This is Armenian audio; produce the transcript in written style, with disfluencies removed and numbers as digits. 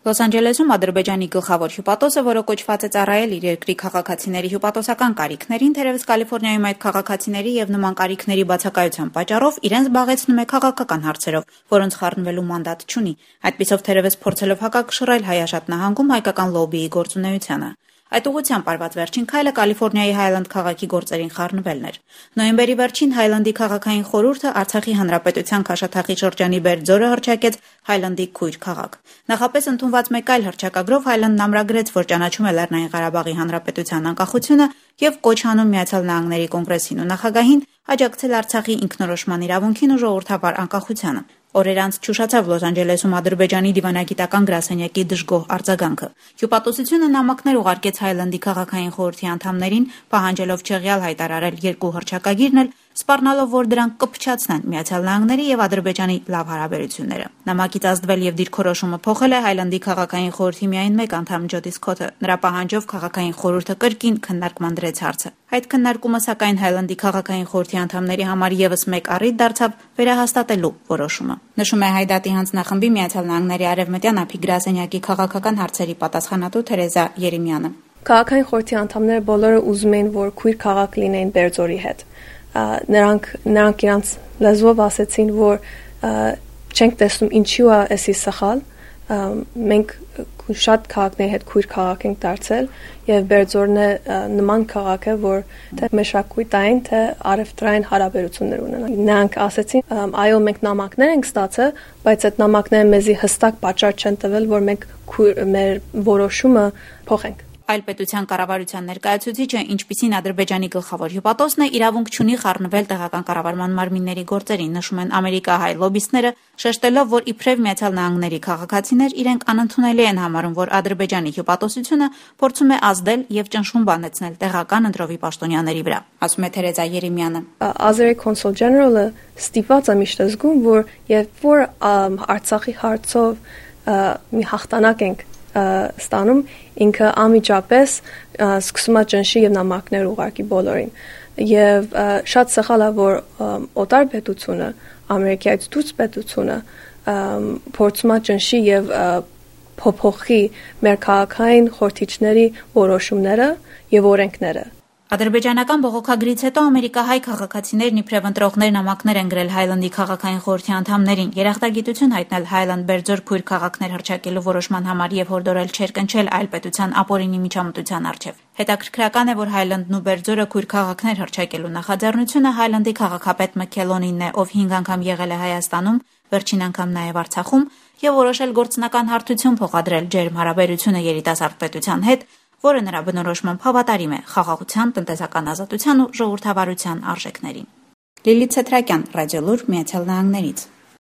Լոս Անջելեսում Ադրբեջանի գլխավոր հյուպատոսը, որը կոչված է ծառայել իր երկրի քաղաքացիների հյուպատոսական կարիքներին, թերևս Կալիֆոռնիայում այդ քաղաքացիների եւ նման կարիքների բացակայության պատճառով իրենց զբաղեցնում է քաղաքական հարցերով, որոնց խառնվելու մանդատ չունի, այդպիսով թերևս փորձելով հակակշռել Հայաշատ նահանգում հայկական լոբբիի գործունեությանը։ Այդ ուղղությամբ արված վերջին քայլը Կալիֆոռնիայի Հայլանդ քաղաքի գործերին խառնվելն էր։ Նոյեմբերի վերջին Հայլանդի քաղաքային խորհուրդը Արցախի հանրապետության Քաշաթաղի շրջանի Բերձորը հռչակեց Հայլանդի քույր քաղաք։ Նախապես ընդունված մեկ այլ հռչակագրով Հայլանդն ամրագրեց, որ ճանաչում է Լեռնային Ղարաբաղի հանրապետության անկախությունը եւ կոչ անում Միացյալ Նահանգների կոնգրեսին ու նախագահին աջակցել Արցախի ինքնորոշման իրավունքին ու ժողովրդավար անկախությանը։ Օրեր անց չուշացավ Լոս Անջելեսում Ադրբեջանի դիվանագիտական գրասենյակի դժգոհ արձագանքը։ Հյուպատոսությունը նամակներ ուղարկեց Հայլանդի քաղաքային խորհրդի անդամներին, պահանջելով չեղյալ հայտարարել երկու հռչակագիրն էլ, սպառնալով, որ դրանք կփչացնեն Միացյալ Նահանգների եւ Ադրբեջանի լավ հարաբերությունները։ Նամակից ազդվել եւ դիրքորոշումը փոխել է Հայլանդի քաղաքային խորհրդի միայն մեկ անդամ Ջոդի Սքոթը։ Նրա պահանջով քաղաքային խորհուրդը կրկին քննարկման դրեց հարցը։ Այդ քննարկումը սակայն Հայլանդի քաղաքային խորհրդի անդամների համար եւս մեկ առիթ դարձավ վերահաստատելու որոշումը։ Նշում է Հայդատի հանձնախմբի Միացյալ Նահանգների արևմտյան ափի գրասենյակի քաղաքական հարցերի պատասխանատու Թերեզա Երեմյանը։ Քաղաքային խորհրդի անդամները բոլորը ուզում էին, որ քույր քաղաք լինեին Բերձորի հետ։ Նրանք իրանց լեզվով ասեցին, որ չենք տեսնում ինչու է էսի սխալ, մենք շատ քաղաքների հետ քույր քաղաք ենք դարձել եւ Բերձորն է նման քաղաք է, որ թե մշակութային, թե առևտրային հարաբերություններ ունենա։ Նրանք ասեցին, այո, մենք նամակներ ենք ստացել, բայց այդ նամակները մեզի հստակ պատճառ չեն տվել, որ մենք մեր որոշումը փոխենք։ Այլ պետության կառավարության ներկայացուցիչը, ինչպիսին Ադրբեջանի գլխավոր հյուպատոսն է, իրավունք չունի խառնվել տեղական կառավարման մարմինների գործերին, նշում են ամերիկահայ լոբբիստները, շեշտելով, որ իբրև Միացյալ Նահանգների քաղաքացիներ իրենք անընդունելի են համարում, որ Ադրբեջանի հյուպատոսությունը փորձում է ազդել եւ ճնշում բանեցնել տեղական ընտրովի պաշտոնյաների վրա, ասում է Թերեզա Երեմյանը։ Ազերի կոնսուլ ջեներալը ստիպված է միշտ զգում, որ երբ որ Արցախի հարցով մի հաղթանակ ենք ստանում, ինքը անմիջապես սկսում է ճնշի եւ նամակներ ուղարկի բոլորին։ Եվ շատ սխալ է, որ օտար պետությունը, Ամերիկայից դուրս պետությունը փորձում է ճնշի եւ փոփոխի մեր քաղաքային խորհրդիչների որոշումները եւ օրենքները։ Ադրբեջանական բողոքագրից հետո ամերիկահայ քաղաքացիներն իբրև ընտրողներ նամակներ են գրել Հայլանդի քաղաքային խորհրդի անդամներին, երախտագիտություն հայտնել Հայլանդ-Բերձոր քույր քաղաքներ հռչակելու որոշման համար եւ հորդորել չերկնչել այլ պետության ապօրինի միջամտության առջեւ։ Հետաքրքրական է, որ Հայլանդն ու Բերձորը քույր քաղաքներ հռչակելու նախաձեռնությունը Հայլանդի քաղաքապետ Մքելոնինն է, ով 5 անգամ եղել է Հայաստանում, վերջին անգամ նաեւ Արցախում եւ որոշել գործնական հարթություն փոխադրել ջերմ հարաբերությունը երիտասարդ պետության հետ, որը նրա բնորոշմամբ հավատարիմ է խաղաղության, տնտեսական ազատության ու ժողովրդավարության արժեքներին։ Լիլիթ Ցեթրակյան, Ռադիոլուր, Միացյալ Նահանգներից։